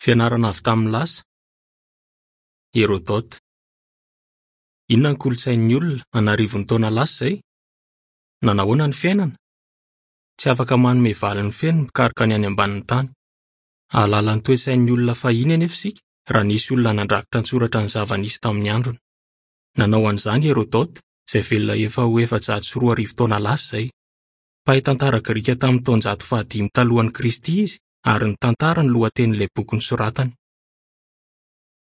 Fianarana avy tamin'ny lasa. Hérodote. Inona ny kolontsain'ny olona an'arivony taona lasa izay? Nanahoana ny fiainana? Tsy afaka manome valiny feno ny mpikaroka ny any ambanin'ny tany. Hahalala ny toe-tsain'ny olona fahiny anefa isika raha nisy olona nandrakitra an-tsoratra ny zava-nisy tamin'ny androny. Nanao an'izany i Hérodote, izay velona efa ho 2400 taona lasa izay. Mpahay tantara grika tamin'ny taonjato fahadimy talohan'i Kristy izy, ary ny tantara no lohatenin'ilay boky nosoratany.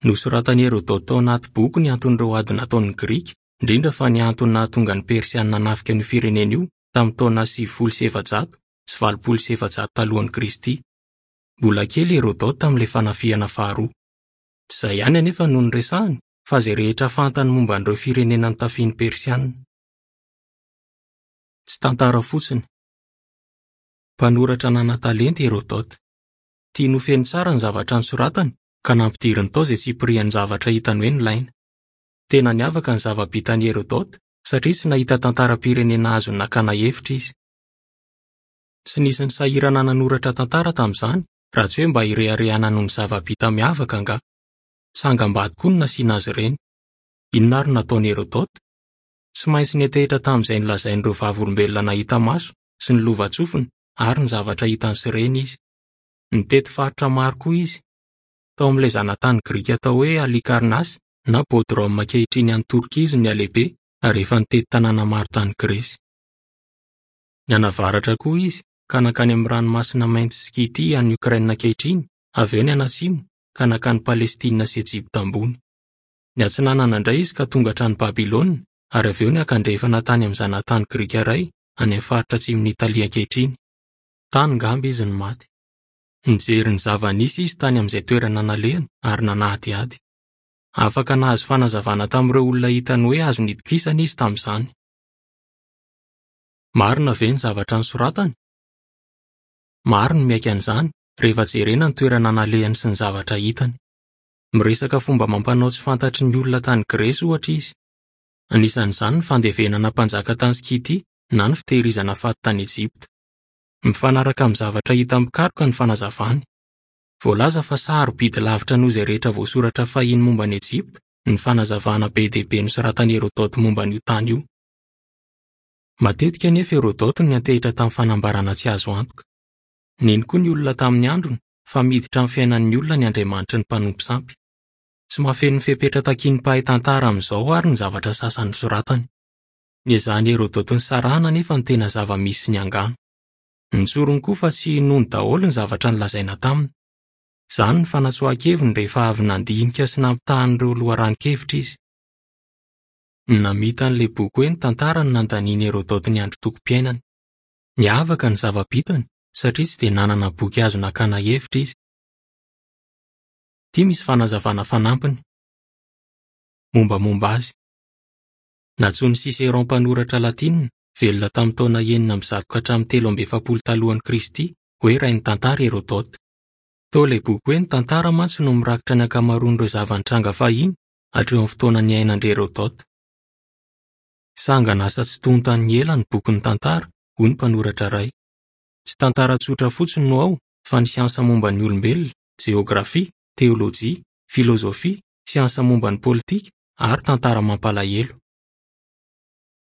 Nosoratan'i Hérodote tao anaty boky ny anton'ireo ady nataon'ny Grika, indrindra fa ny antony nahatonga ny Persianina hanafika an'io firenena io tamin'ny taona 490 8400 talohan'i Kristy. Mbola kely i Hérodote tamin'ilay fanafihana faharoa. Tsy izay ihany anefa no noresahiny, fa izay rehetra fantany momba an'ireo firenena notafihin'ny Persianina. Tsy tantara fotsiny. Mpanoratra nanan-talenta i Hérodote. Tiany ho feno tsara ny zavatra nosoratany, ka nampidiriny tao izay tsipirian'ny zavatra hitany hoe nilaina. Tena niavaka ny zava-bitan'i Hérodote, satria tsy nahita tantaram-pirenena azony nakana hevitra izy. Tsy nisy nisahirana nanoratra tantara tamin'izany, raha tsy hoe mba hireharehana noho ny zava-bita miavaka angaha. Tsangambato koa no nasiana azy ireny. Inona ary no nataon'i Hérodote? Tsy maintsy niantehitra tamin'izay nolazain'ireo vavolombelona nahita maso sy ny lovantsofiny ary ny zavatra hitany sy reny izy. Nitety faritra maro koa izy. Tao amin'ilay zanatany grika atao hoe Halicarnasse na Bodrum ankehitriny any Torkia izy no nihalehibe ary efa nitety tanàna maro tany Gresy. Nianavaratra koa izy ka nankany amin'ny Ranomasina Mainty sy Skytia any Ukraine ankehitriny, avy eo nianatsimo ka nankany Palestina sy Ejipta ambony. Niatsinanana indray izy ka tonga hatrany Babylona ary avy eo niakandrefana tany amin'ny zanatany grika iray any amin'ny faritra atsimon'i Italia ankehitriny. Tany ngamba izy no maty. Nijery ny zava-nisy izy tany amin'izay toerana nalehany ary nanadihady. Afaka nahazo fanazavana tamin'ireo olona hitany hoe azo nitokisana izy tamin'izany. Marina ve ny zavatra nosoratany? Maro ny miaiky an'izany rehefa jerena ny toerana nalehany sy ny zavatra hitany. Miresaka fomba amam-panao tsy fantatry ny olona tany Gresy, ohatra, izy. Anisan'izany ny fandevenana mpanjaka tany Skytia na ny fitehirizana faty tany Ejipta. Mifanaraka amin'ny zavatra hitan'ny mpikaroka ny fanazavany. Voalaza fa sarobidy lavitra noho izay rehetra voasoratra fahiny momba an'i Ejipta ny fanazavana be dia be nosoratan'i Hérodote momba an'io tany io. Matetika anefa Hérodote no niantehitra tamin'ny fanambarana tsy azo antoka. Nino koa ny olona tamin'ny androny fa miditra amin'ny fiainan'ny olona ny andriamanitry ny mpanompo sampy. Tsy mahafeno ny fepetra takian'ny mpahay tantara amin'izao àry ny zavatra sasany nosoratany. Niezahan'i Hérodote nisarahana anefa ny tena zava-misy sy ny angano. Notsoriny koa fa tsy inoany daholo ny zavatra nolazaina taminy. Izany no fanatsoahan-keviny rehefa avy nandinika sy nampitaha an'ireo loharanon-kevitra izy. Namita an'ilay boky hoe Ny Tantara no nandanian'i Hérodote ny androtokom-piainany. Niavaka ny zava-bitany satria tsy dia nanana boky azo nakana hevitra izy. Ity misy fanazavana fanampiny. Mombamomba azy. Nantsoin'i Cicéron mpanoratra latinina, velona tamin'ny taona 106 ka hatramin'ny 43 talohan'i Kristy, hoe rain'ny tantara Hérodote. Toa ilay boky hoe Ny Tantara mantsy no mirakitra ny ankamaroan'ireo zava-nitranga fahiny hatreo amin'ny fotoana niainan-dry Hérodote. Sangan'asa tsy tontan'ny ela ny bokin'ny tantara, hoy ny mpanoratra iray. Tsy tantara tsotra fotsiny no ao fa ny siansa momba ny olombelona, jeografia, teolojia, filozofia, siansa momba ny politika ary tantara mampalahelo.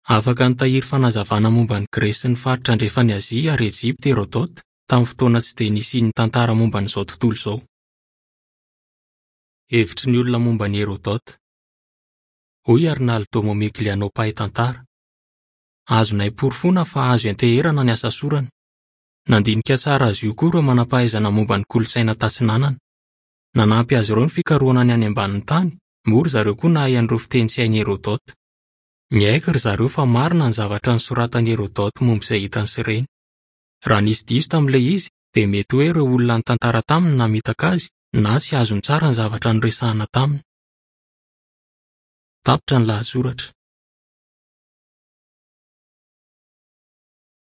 Afaka nitahiry fanazavana momba an'i Gresy sy ny faritra andrefan'i Azia ary Ejipta i Hérodote tamin'ny fotoana tsy dia nisian'ny tantara momba an'izao tontolo izao. Hevitry ny olona momba an'i Hérodote. Hoy Arnaldo Momigliano mpahay tantara, Azonay porofoina fa azo ianteherana ny asa sorany. Nandinika tsara azy io koa ireo manam-pahaizana momba ny kolontsaina tatsinanana. Nanampy azy ireo ny fikarohana ny any ambanin'ny tany, moa ry zareo koa nahay an'ireo fiteny tsy hain'i Hérodote. Miaiky ry zareo fa marina ny zavatra nosoratan'i Hérodote momba izay hitany sy reny. Raha nisy diso tamin'ilay izy, dia mety hoe ireo olona nitantara taminy no namitaka azy na tsy azony tsara ny zavatra noresahina taminy. Tapitra ny lahatsoratra.